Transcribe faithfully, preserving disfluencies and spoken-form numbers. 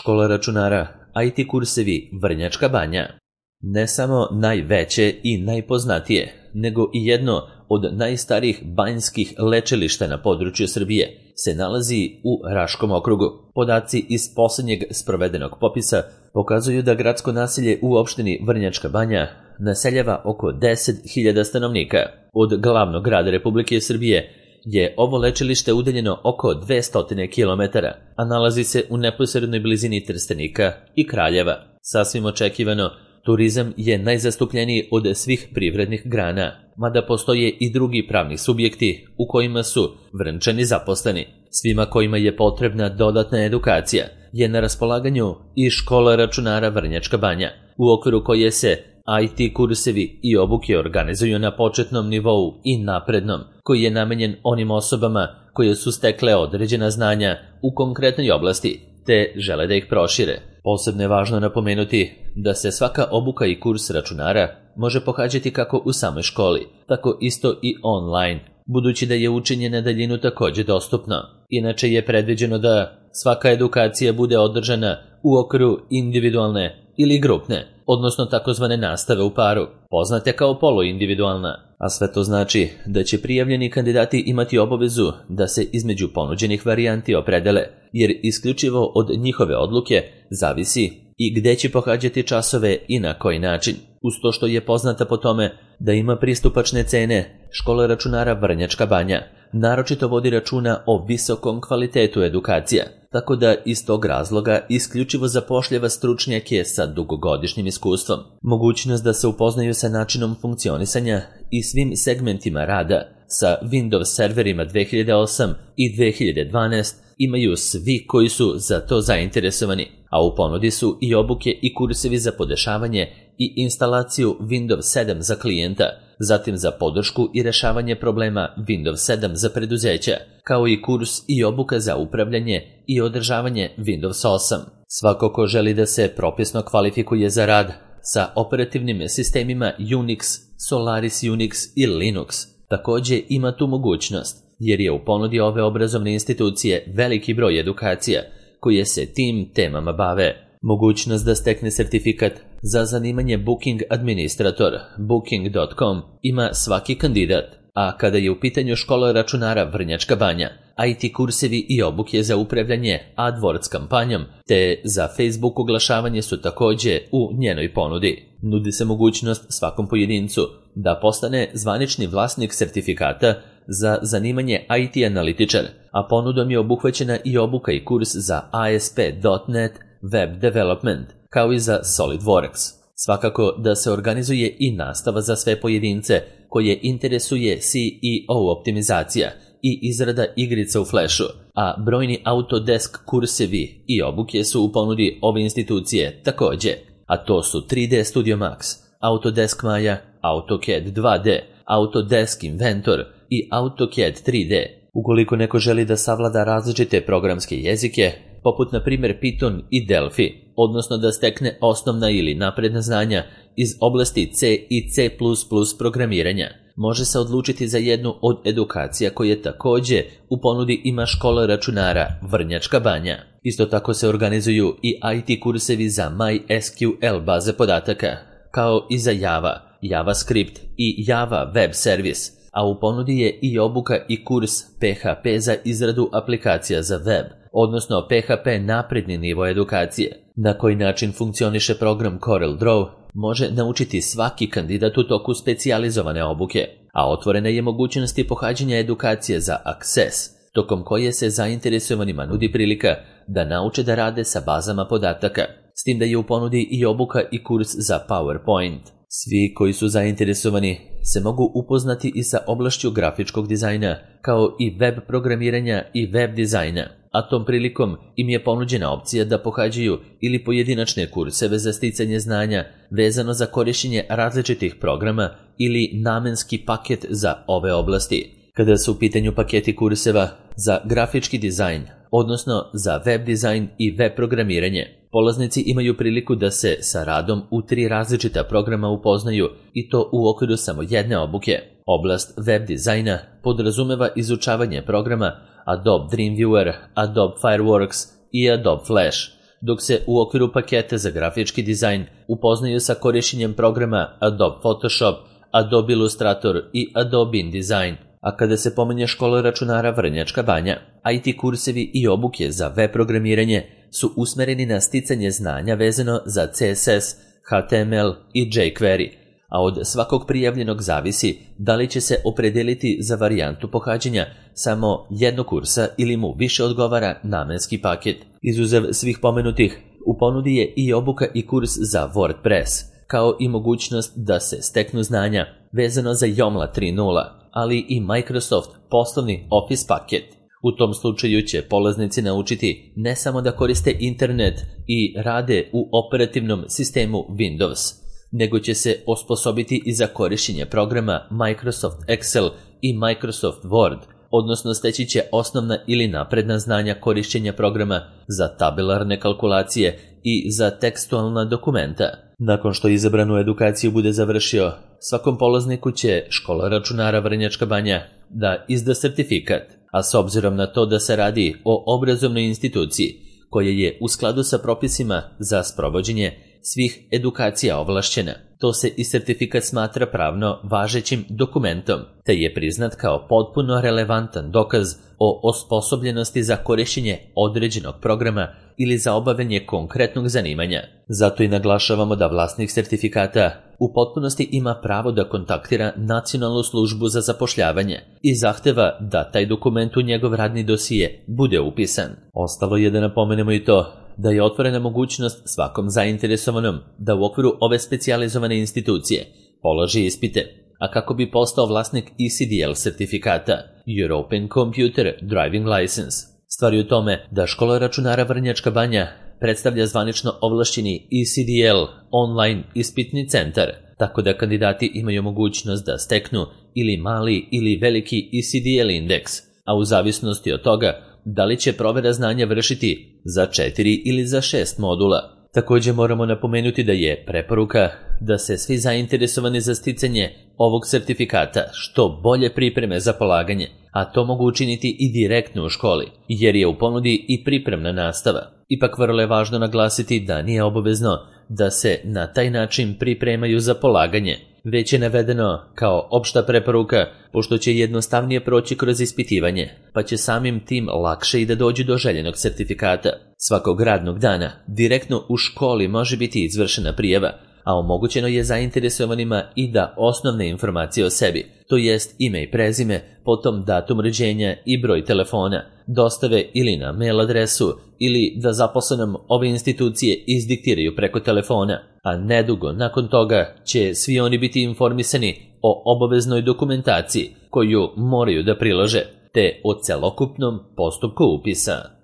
Škola računara, I T kursevi Vrnjačka Banja. Ne samo najveće i najpoznatije, nego i jedno od najstarijih banjskih lečilišta na području Srbije se nalazi u Raškom okrugu. Podaci iz posljednjeg sprovedenog popisa pokazuju da gradsko naselje u opštini Vrnjačka Banja naseljava oko deset hiljada stanovnika. Od glavnog grada Republike Srbije je ovo lečilište udaljeno oko dvesta kilometara, a nalazi se u neposrednoj blizini Trstenika i Kraljeva. Sasvim očekivano, turizam je najzastupljeniji od svih privrednih grana, mada postoje i drugi pravni subjekti u kojima su Vrnčani zaposleni. Svima kojima je potrebna dodatna edukacija je na raspolaganju i škola računara Vrnjačka Banja, u okviru koje se I T kursevi i obuke organizuju na početnom nivou i naprednom, koji je namenjen onim osobama koje su stekle određena znanja u konkretnoj oblasti, te žele da ih prošire. Posebno je važno napomenuti da se svaka obuka i kurs računara može pohađati kako u samoj školi, tako isto i online, budući da je učenje na daljinu također dostupno. Inače je predviđeno da svaka edukacija bude održana u okviru individualne ili grupne, odnosno takozvane nastave u paru, poznate kao poluindividualna, a sve to znači da će prijavljeni kandidati imati obavezu da se između ponuđenih varijanti opredele, jer isključivo od njihove odluke zavisi i gde će pohađati časove i na koji način. Uz to što je poznata po tome da ima pristupačne cene, škola računara Vrnjačka Banja naročito vodi računa o visokom kvalitetu edukacija, tako da iz tog razloga isključivo zapošljava stručnjake sa dugogodišnjim iskustvom. Mogućnost da se upoznaju sa načinom funkcionisanja i svim segmentima rada sa Windows serverima dve hiljade osam i dve hiljade dvanaest imaju svi koji su za to zainteresovani, a u ponudi su i obuke i kursevi za podešavanje i instalaciju Windows sedam za klijenta, zatim za podršku i rešavanje problema Windows sedam za preduzeća, kao i kurs i obuka za upravljanje i održavanje Windows osam. Svako ko želi da se propisno kvalifikuje za rad sa operativnim sistemima Unix, Solaris Unix i Linux također ima tu mogućnost, jer je u ponudi ove obrazovne institucije veliki broj edukacija koje se tim temama bave. Mogućnost da stekne sertifikat za zanimanje Booking Administrator booking dot com ima svaki kandidat, a kada je u pitanju škola računara Vrnjačka Banja, I T kursevi i obuke za upravljanje AdWords kampanjom te za Facebook oglašavanje su također u njenoj ponudi. Nudi se mogućnost svakom pojedincu da postane zvanični vlasnik sertifikata za zanimanje I T analitičar, a ponudom je obuhvaćena i obuka i kurs za A S P dot net Web Development, kao i za SolidWorks. Svakako da se organizuje i nastava za sve pojedince koje interesuje C E O optimizacija i izrada igrica u Flashu, a brojni Autodesk kursevi i obuke su u ponudi ove institucije također, a to su tri D Studio Max, Autodesk Maya, AutoCAD dva D, Autodesk Inventor i AutoCAD tri D. Ukoliko neko želi da savlada različite programske jezike, poput na primjer Python i Delphi, odnosno da stekne osnovna ili napredna znanja iz oblasti C i C plus plus programiranja, može se odlučiti za jednu od edukacija koje također u ponudi ima škola računara Vrnjačka Banja. Isto tako se organizuju i I T kursevi za MySQL baze podataka, kao i za Java, JavaScript i Java web servis, a u ponudi je i obuka i kurs P H P za izradu aplikacija za web, odnosno P H P napredni nivo edukacije. Na koji način funkcioniše program CorelDRAW može naučiti svaki kandidat u toku specijalizovane obuke, a otvorena je mogućnosti pohađanja edukacije za Access, tokom koje se zainteresovanima nudi prilika da nauče da rade sa bazama podataka, s tim da je u ponudi i obuka i kurs za PowerPoint. Svi koji su zainteresovani se mogu upoznati i sa oblašću grafičkog dizajna, kao i web programiranja i web dizajna, a tom prilikom im je ponuđena opcija da pohađaju ili pojedinačne kurseve za sticanje znanja vezano za korišćenje različitih programa ili namenski paket za ove oblasti. Kada su u pitanju paketi kurseva za grafički dizajn, odnosno za web dizajn i web programiranje, polaznici imaju priliku da se sa radom u tri različita programa upoznaju i to u okviru samo jedne obuke. Oblast web dizajna podrazumeva izučavanje programa Adobe Dreamweaver, Adobe Fireworks i Adobe Flash, dok se u okviru paketa za grafički dizajn upoznaju sa korišćenjem programa Adobe Photoshop, Adobe Illustrator i Adobe InDesign. A kada se pominje škola računara Vrnjačka Banja, I T kursevi i obuke za web programiranje su usmereni na sticanje znanja vezano za C S S, H T M L i jQuery, a od svakog prijavljenog zavisi da li će se opredeliti za varijantu pohađanja samo jednog kursa ili mu više odgovara namenski paket. Izuzev svih pomenutih, u ponudi je i obuka i kurs za WordPress, kao i mogućnost da se steknu znanja vezano za Joomla tri nula, ali i Microsoft poslovni Office paket. U tom slučaju će polaznici naučiti ne samo da koriste internet i rade u operativnom sistemu Windows, nego će se osposobiti i za korišćenje programa Microsoft Excel i Microsoft Word, odnosno steći će osnovna ili napredna znanja korišćenja programa za tabelarne kalkulacije i za tekstualna dokumenta. Nakon što izabranu edukaciju bude završio, svakom polazniku će škola računara Vrnjačka Banja da izda sertifikat, a s obzirom na to da se radi o obrazovnoj instituciji koja je u skladu sa propisima za sprovođenje svih edukacija ovlašćena, to se i sertifikat smatra pravno važećim dokumentom, te je priznat kao potpuno relevantan dokaz o osposobljenosti za korišćenje određenog programa ili za obavljanje konkretnog zanimanja. Zato i naglašavamo da vlasnik sertifikata u potpunosti ima pravo da kontaktira Nacionalnu službu za zapošljavanje i zahteva da taj dokument u njegov radni dosije bude upisan. Ostalo je da napomenemo i to da je otvorena mogućnost svakom zainteresovanom da u okviru ove specijalizovane institucije položi ispite, a kako bi postao vlasnik E C D L sertifikata European Computer Driving License. Stvar je u tome da škola računara Vrnjačka Banja predstavlja zvanično ovlašćeni E C D L online ispitni centar, tako da kandidati imaju mogućnost da steknu ili mali ili veliki E C D L indeks, a u zavisnosti od toga da li će provera znanja vršiti za četiri ili za šest modula. Također moramo napomenuti da je preporuka da se svi zainteresovani za sticanje ovog sertifikata što bolje pripreme za polaganje, a to mogu učiniti i direktno u školi, jer je u ponudi i pripremna nastava. Ipak vrlo je važno naglasiti da nije obavezno da se na taj način pripremaju za polaganje, već je navedeno kao opšta preporuka, pošto će jednostavnije proći kroz ispitivanje, pa će samim tim lakše i da dođu do željenog sertifikata. Svakog radnog dana direktno u školi može biti izvršena prijava, a omogućeno je zainteresovanima i da osnovne informacije o sebi, to jest ime i prezime, potom datum rođenja i broj telefona, dostave ili na mail adresu ili da zaposlenom ove institucije izdiktiraju preko telefona, a nedugo nakon toga će svi oni biti informisani o obaveznoj dokumentaciji koju moraju da prilože, te o celokupnom postupku upisa.